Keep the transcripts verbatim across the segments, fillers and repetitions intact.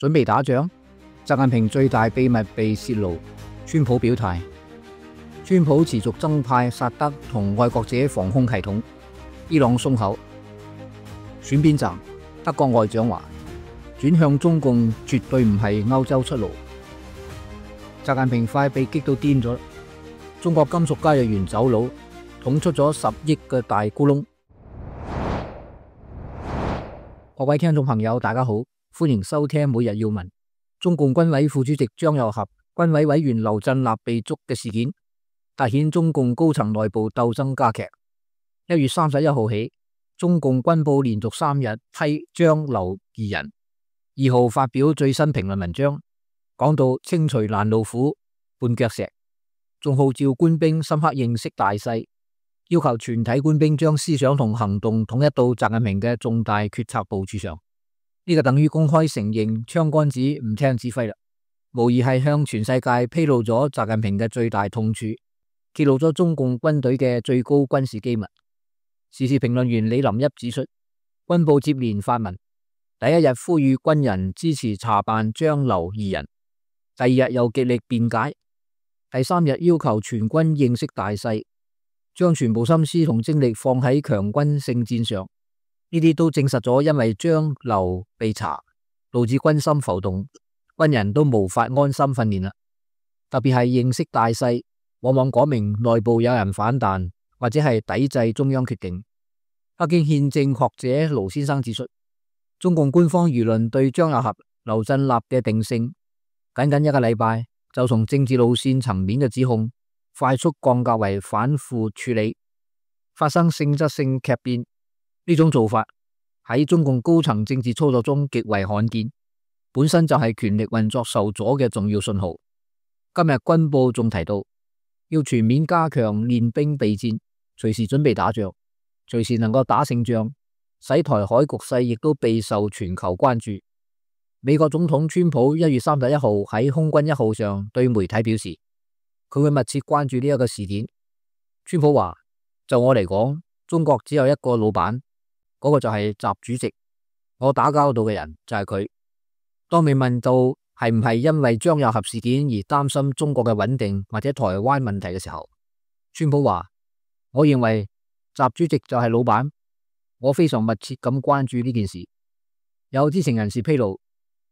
準備打仗，習近平最大秘密被泄露。川普表態，川普持續增派薩德同愛國者防空系統。伊朗鬆口。選邊站，德國外長話轉向中共絕對唔係歐洲出路。習近平快被激到癲咗，中國金屬交易員走佬，捅出咗十億嘅大咕窿。各位聽眾朋友，大家好，歡迎收聽每日要聞。中共軍委副主席張又俠、軍委委員劉振立被捉嘅事件，凸顯中共高層內部鬥爭加劇。一月三十一號起，中共軍報連續三日批張劉二人。二號發表最新評論文章，講到清除攔路虎、絆腳石，仲號召官兵深刻認識大勢，要求全體官兵將思想同行動統一到習近平嘅重大決策部署上。呢、這個等於公開承認槍桿子唔聽指揮啦，無疑係向全世界披露咗習近平嘅最大痛處，揭露咗中共軍隊嘅最高軍事機密。時事評論員李林一指出，軍報接連發文，第一日呼籲軍人支持查辦張劉二人，第二日又極力辯解，第三日要求全軍認識大勢，將全部心思同精力放喺強軍勝戰上。呢啲都證實咗，因為張劉被查，導致軍心浮動，軍人都無法安心訓練啦。特別係認識大勢，往往講明內部有人反彈，或者係抵制中央決定。北京憲政學者盧先生指出，中共官方輿論對張又俠、劉振立嘅定性，僅僅一個禮拜就從政治路線層面嘅指控，快速降格為反腐處理，發生性質性劇變。呢種做法喺中共高層政治操作中極為罕見，本身就係權力運作受阻嘅重要信號。今日軍報仲提到，要全面加強練兵備戰，隨時準備打仗，隨時能夠打勝仗，使台海局勢亦都備受全球關注。美國總統川普一月三十一號喺空軍一號上對媒體表示，佢會密切關注呢一個事件。川普話：就我嚟講，中國只有一個老闆。嗰個就係習主席，我打交道嘅人就係佢。當被問到係唔係因為張又俠事件而擔心中國嘅穩定或者台灣問題嘅時候，川普話：我認為習主席就係老闆，我非常密切咁關注呢件事。有知情人士披露，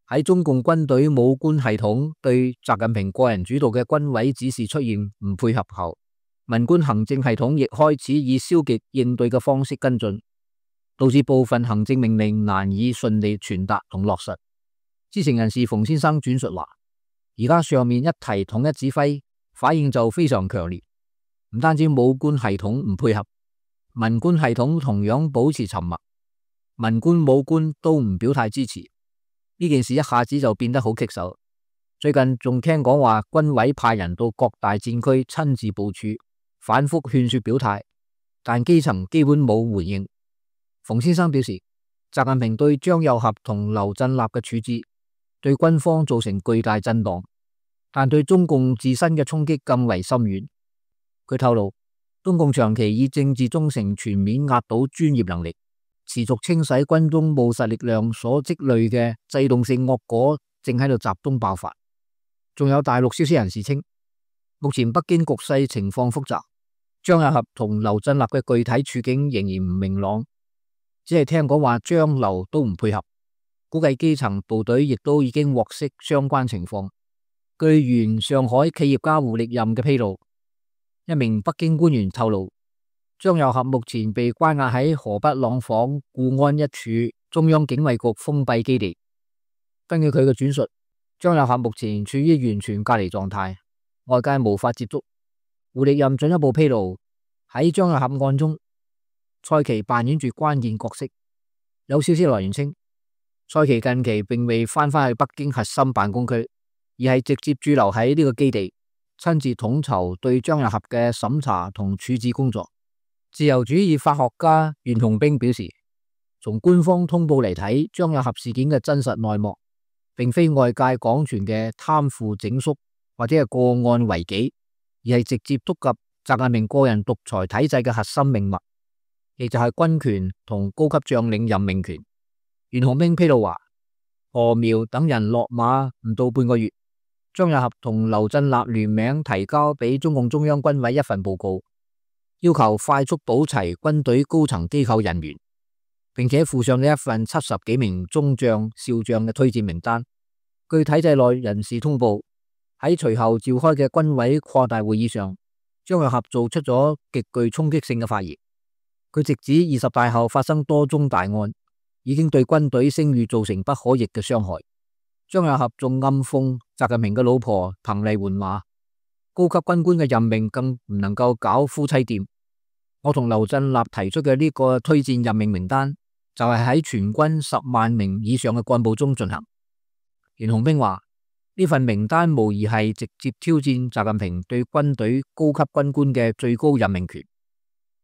喺中共軍隊武官系統對習近平個人主導嘅軍委指示出現唔配合後，文官行政系統亦開始以消極應對嘅方式跟進，導致部分行政命令難以順利傳達同落實。知情人士馮先生轉述話，而家上面一提統一指揮，反應就非常強烈。唔單止武官系統唔配合，文官系統同樣保持沉默，文官武官都唔表態支持。呢件事一下子就變得好棘手。最近仲聽講話軍委派人到各大戰區親自部署，反覆勸說表態，但基層基本冇回應。馮先生表示，習近平對張又俠同劉振立嘅處置對軍方造成巨大震盪，但對中共自身嘅衝擊更為深遠。佢透露，中共長期以政治忠誠全面壓倒專業能力，持續清洗軍中務實力量所積累嘅制動性惡果正喺度集中爆發。仲有大陸消息人士稱，目前北京局勢情況複雜，張又俠同劉振立嘅具體處境仍然唔明朗。只係聽講話張劉都唔配合，估計基層部隊亦都已經獲悉相關情況。據原上海企業家胡力任嘅披露，一名北京官員透露，張又俠目前被關押喺河北廊坊固安一處中央警衛局封閉基地。根據佢嘅轉述，張又俠目前處於完全隔離狀態，外界無法接觸。胡力任進一步披露，喺張又俠案中，蔡奇扮演住關鍵角色。有消息來源稱，蔡奇近期並未翻返去北京核心辦公區，而係直接駐留喺呢個基地，親自統籌對張又俠嘅審查同處置工作。自由主義法學家袁洪兵表示，從官方通報嚟睇，張又俠事件嘅真實內幕，並非外界廣傳嘅貪腐整肅或者係個案違紀，而係直接觸及習近平個人獨裁體制嘅核心命脈，亦就係軍權同高級將領任命權。袁洪兵披露話，何苗等人落馬唔到半個月，張又俠同劉振立聯名提交俾中共中央軍委一份報告，要求快速補齊軍隊高層機構人員，並且附上咗一份七十幾名中將、少將嘅推薦名單。據體制內人士通報，喺隨後召開嘅軍委擴大會議上，張又俠做出咗極具衝擊性嘅發言。佢直指二十大後發生多宗大案，已經對軍隊聲譽造成不可逆嘅傷害。張又俠仲暗諷習近平嘅老婆彭麗媛話，高級軍官嘅任命更唔能夠搞夫妻店。我同劉振立提出嘅呢個推薦任命名單，就係喺全軍十萬名以上嘅幹部中進行。袁洪兵話，呢份名單無疑係直接挑戰習近平對軍隊高級軍官嘅最高任命權。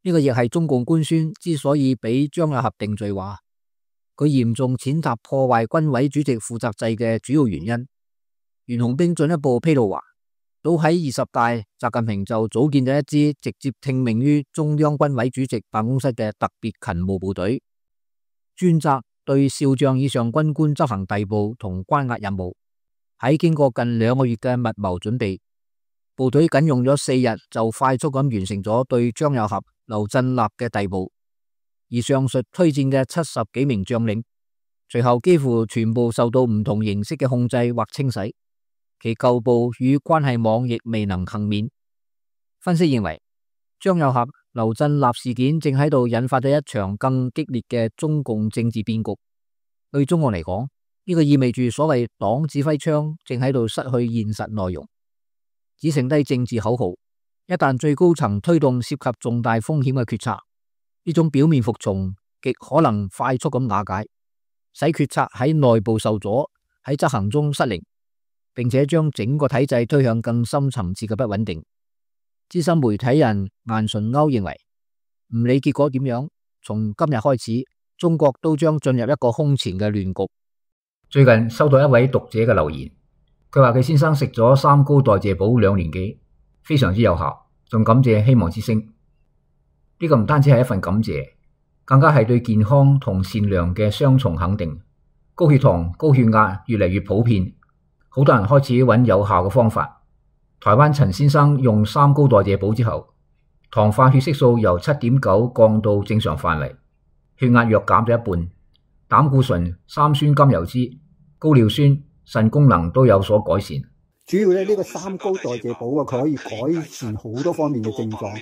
呢個亦係中共官宣之所以俾張又俠定罪，話佢嚴重踐踏破壞軍委主席負責制嘅主要原因。袁洪兵進一步披露話，早喺二十大，習近平就組建咗一支直接聽命於中央軍委主席辦公室嘅特別勤務部隊，專責對少將以上軍官執行逮捕同關押任務。喺經過近兩個月嘅密謀準備，部隊僅用咗四日就快速咁完成咗對張又俠、劉振立嘅逮捕。而上述推薦嘅七十幾名將領，隨後幾乎全部受到唔同形式嘅控制或清洗，其舊部與關係網亦未能幸免。分析認為，張又俠、劉振立事件正喺度引發咗一場更激烈嘅中共政治變局。對中國嚟講，呢個意味住所謂黨指揮槍正喺度失去現實內容，只剩低政治口號。一旦最高層推動涉及重大風險嘅決策，呢種表面服從極可能快速咁瓦解，使決策喺內部受阻，喺執行中失靈，並且將整個體制推向更深層次嘅不穩定。資深媒體人顏純歐認為，唔理結果點樣，從今日開始，中國都將進入一個空前嘅亂局。最近收到一位讀者嘅留言，佢話佢先生食咗三高代謝補兩年幾，非常之有效，仲感謝希望之聲。呢、這個唔單止係一份感謝，更加係對健康同善良嘅雙重肯定。高血糖、高血壓越嚟越普遍，好多人開始揾有效嘅方法。台灣陳先生用三高代謝補之後，糖化血色素由七點九降到正常範圍，血壓約減咗一半，膽固醇、三酸甘油酯、高尿酸、腎功能都有所改善。主要咧呢個三高代謝補啊，佢可以改善好多方面嘅症狀，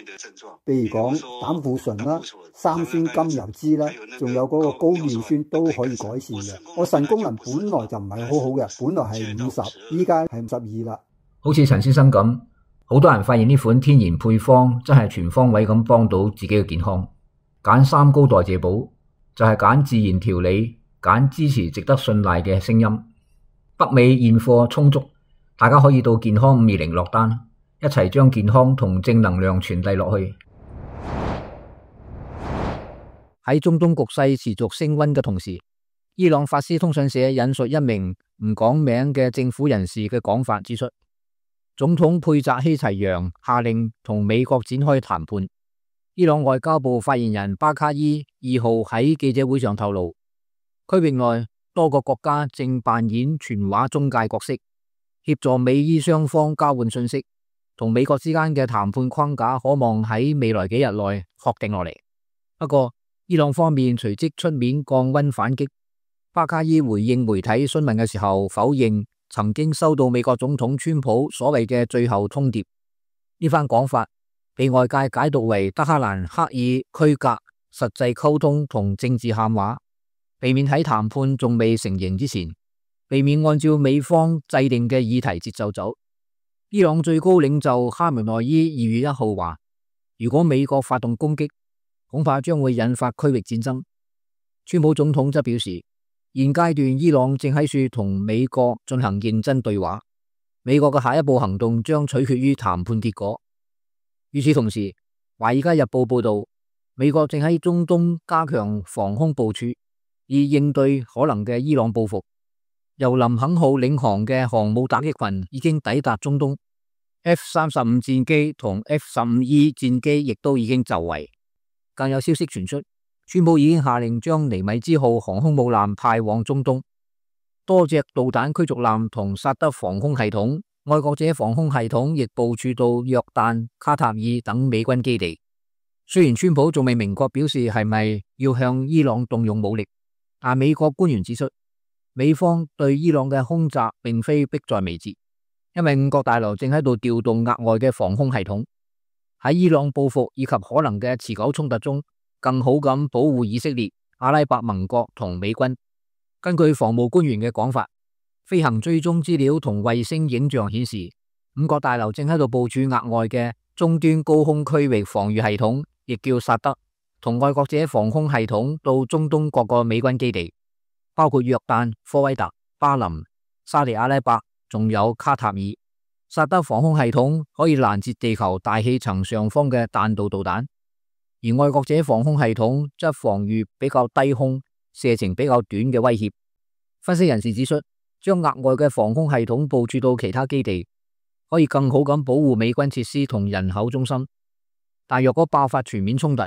譬如講膽固醇啦、三酸甘油酯啦，仲有嗰個高尿酸都可以改善嘅。我腎功能本來就唔係好好嘅，本來係五十，依家係五十二啦。好似陳先生咁，好多人發現呢款天然配方真係全方位咁幫到自己嘅健康。揀三高代謝補就係揀自然調理，揀支持值得信賴嘅聲音。北美現貨充足，大家可以到健康五二零落單，一齊將健康同正能量傳遞落去。喺中東局勢持續升溫嘅同時，伊朗法斯通訊社引述一名唔講名嘅政府人士嘅講法指出，總統佩澤希齊揚下令同美國展開談判。伊朗外交部發言人巴卡伊二號喺記者會上透露，區域內多個國家正扮演傳話中介角色，協助美伊雙方交換信息，同美國之間嘅談判框架可望喺未來幾日內確定落嚟。不過，伊朗方面隨即出面降溫反擊。巴卡伊回應媒體詢問嘅時候，否認曾經收到美國總統川普所謂嘅最後通牒。呢番講法被外界解讀為德黑蘭刻意區隔實際溝通同政治喊話，避免喺談判仲未成形之前，避免按照美方制定嘅議題節奏走。伊朗最高領袖哈梅內伊二月一號話，如果美國發動攻擊，恐怕將會引發區域戰爭。川普總統則表示，現階段伊朗正喺處同美國進行認真對話，美國嘅下一步行動將取決於談判結果。與此同時，《華爾街日報》報道，美國正喺中東加強防空部署，以應對可能嘅伊朗報復。由林肯號領航嘅航母打擊群已經抵達中東 ，F 三十五戰機同 F 十五 E 戰機亦都已經就位。更有消息傳出，川普已經下令將尼米茲號航空母艦派往中東。多隻導彈驅逐艦同薩德防空系統，愛國者防空系統亦部署到約旦、卡塔爾等美軍基地。雖然川普仲未明確表示係咪要向伊朗動用武力，但美國官員指出，美方對伊朗嘅空襲並非迫在眉睫，因為五角大樓正喺度調動額外嘅防空系統，喺伊朗報復以及可能嘅持久衝突中，更好咁保護以色列、阿拉伯盟國同美軍。根據防務官員嘅講法，飛行追蹤資料同衛星影像顯示，五角大樓正喺度部署額外嘅終端高空區域防禦系統，亦叫薩德，同愛國者防空系統到中東各個美軍基地，包括約旦、科威特、巴林、沙地阿拉伯，仲有卡塔爾。薩德防空系統可以攔截地球大氣層上方嘅彈道導彈，而愛國者防空系統則防禦比較低空、射程比較短嘅威脅。分析人士指出，將額外嘅防空系統部署到其他基地，可以更好咁保護美軍設施同人口中心。但若果爆發全面衝突，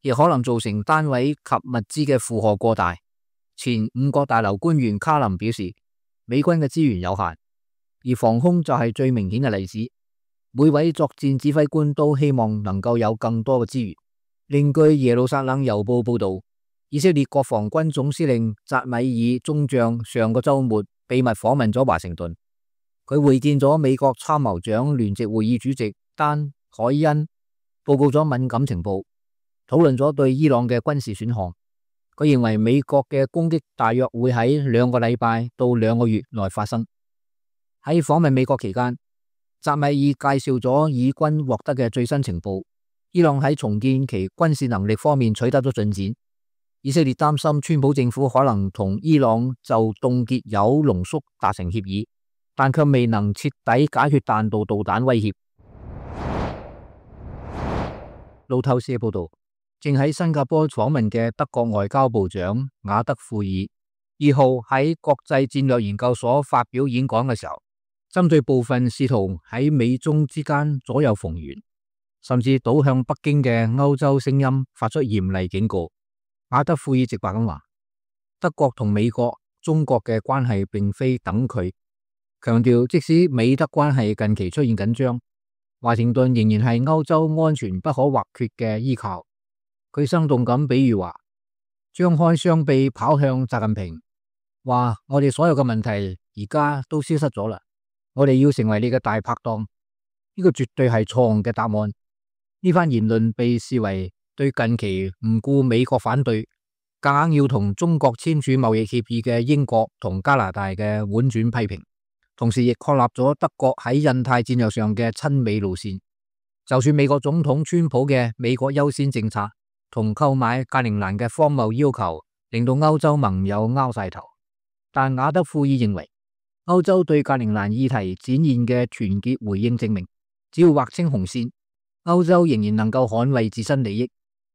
亦可能造成單位及物資嘅負荷過大。前五角大樓官員卡林表示，美軍嘅資源有限，而防空就係最明顯嘅例子。每位作戰指揮官都希望能夠有更多嘅資源。另據耶路撒冷郵報報道，以色列國防軍總司令扎米爾中將上個週末秘密訪問咗華盛頓，佢會見咗美國參謀長聯席會議主席丹凱恩，報告咗敏感情報，討論咗對伊朗嘅軍事選項。佢認為美國嘅攻擊大約會喺兩個禮拜到兩個月內發生。喺訪問美國期間，扎米爾介紹咗以軍獲得嘅最新情報，伊朗喺重建其軍事能力方面取得咗進展。以色列擔心川普政府可能同伊朗就凍結鈾濃縮達成協議，但卻未能徹底解決彈道導彈威脅。路透社報道，正喺新加坡訪問嘅德國外交部長雅德庫爾二號喺國際戰略研究所發表演講嘅時候，針對部分試圖喺美中之間左右逢源，甚至倒向北京嘅歐洲聲音發出嚴厲警告。雅德庫爾直白咁話，德國同美國、中國嘅關係並非等距，強調即使美德關係近期出現緊張，華盛頓仍然係歐洲安全不可或缺嘅依靠。佢生動咁比喻話，張開雙臂跑向習近平，話我哋所有嘅問題而家都消失咗啦，我哋要成為你嘅大拍檔。呢個絕對係錯誤嘅答案。呢番言論被視為對近期唔顧美國反對，夾硬要同中國簽署貿易協議嘅英國同加拿大嘅婉轉批評，同時亦確立咗德國喺印太戰略上嘅親美路線。就算美國總統川普嘅美國優先政策同購買格陵蘭嘅荒謬要求，令到歐洲盟友拗晒頭，但雅德庫爾認為，歐洲對格陵蘭議題展現嘅團結回應證明，只要劃清紅線，歐洲仍然能夠捍衛自身利益。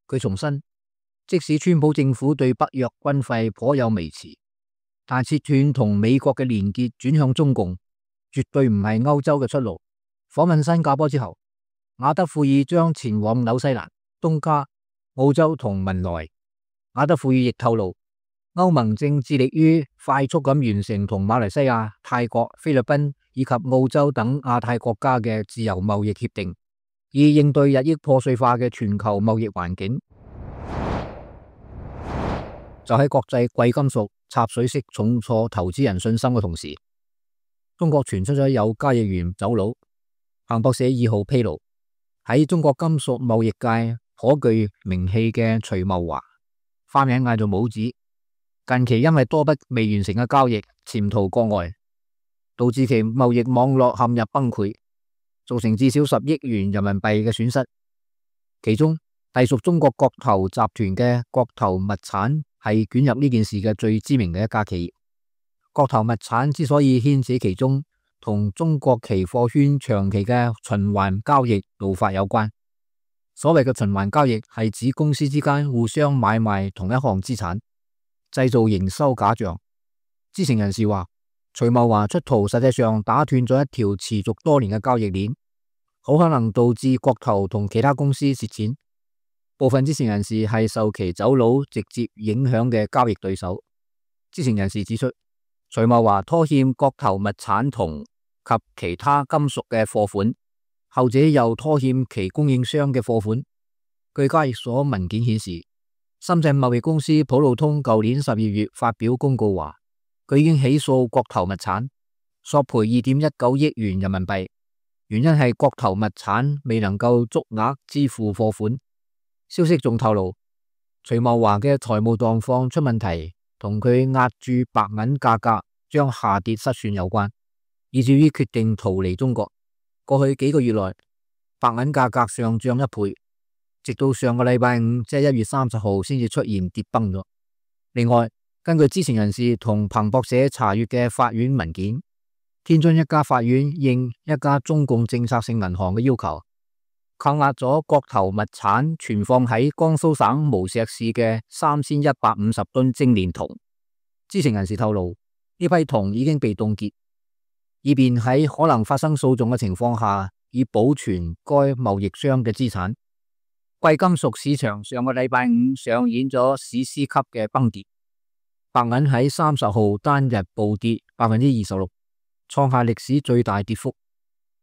佢重申，即使川普政府對北約軍費頗有微詞，但切斷同美國嘅連結轉向中共，絕對唔係歐洲嘅出路。訪問新加坡之後，雅德庫爾將前往紐西蘭、東加、澳洲同文萊。雅德庫爾亦透露，歐盟正致力於快速咁完成同馬來西亞、泰國、菲律賓以及澳洲等亞太國家嘅自由貿易協定，以應對日益破碎化嘅全球貿易環境。就喺國際貴金屬插水式重挫投資人信心嘅同時，中國傳出咗有交易員走佬。彭博社二號披露，喺中國金屬貿易界頗具名氣嘅徐茂華，花名嗌做帽子，近期因為多筆未完成嘅交易潛逃國外，導致其貿易網絡陷入崩潰，造成至少十億元人民幣嘅損失。其中隸屬中國國投集團嘅國投物產係捲入呢件事嘅最知名嘅一家企業。國投物產之所以牽扯其中，同中國期貨圈長期嘅循環交易做法有關。所謂嘅循環交易係指公司之間互相買賣同一項資產，製造營收假象。知情人士話，徐茂華出逃實際上打斷咗一條持續多年嘅交易鏈，好可能導致國投同其他公司蝕錢。部分知情人士係受其走佬直接影響嘅交易對手。知情人士指出，徐茂華拖欠國投物產銅及其他金屬嘅貨款，後者又拖欠其供應商嘅貨款。據交易所文件顯示，深圳貿易公司普路通舊年十二月發表公告話，佢已經起訴國投物產，索賠二點一九億元人民幣，原因係國投物產未能夠足額支付貨款。消息仲透露，徐茂華嘅財務狀況出問題，同佢押注白銀價格將下跌失算有關，以至於決定逃離中國。過去幾個月內，白銀價格上漲一倍，直到上個禮拜五，即係一月三十號，先至出現跌崩咗。另外，根據知情人士同彭博社查閱嘅法院文件，天津一家法院應一家中共政策性銀行嘅要求，扣押咗國投物產存放喺江蘇省無錫市嘅三千一百五十噸精煉銅。知情人士透露，呢批銅已經被凍結，以便喺可能發生訴訟嘅情況下，以保存該貿易商嘅資產。貴金屬市場上個禮拜五上演咗史詩級嘅崩跌，白銀喺三十號單日暴跌百分之二十六，創下歷史最大跌幅。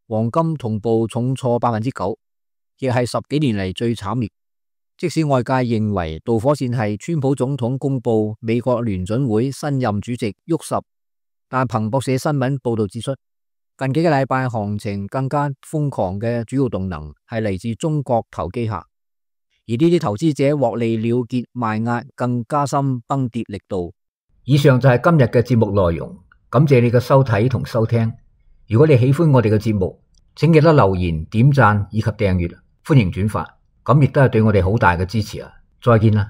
黃金同步重挫百分之九，亦係十幾年嚟最慘烈。即使外界認為導火線係川普總統公布美國聯準會新任主席沃什，但彭博社新聞報道指出，近幾個禮拜行情更加瘋狂嘅主要動能係嚟自中國投機客，而呢啲投資者獲利了結賣壓，更加深崩跌力度。以上就係今日嘅節目內容，感謝你嘅收睇同收聽。如果你喜歡我哋嘅節目，請記得留言、點讚以及訂閱，歡迎轉發，咁亦都係對我哋好大嘅支持啊！再見啦。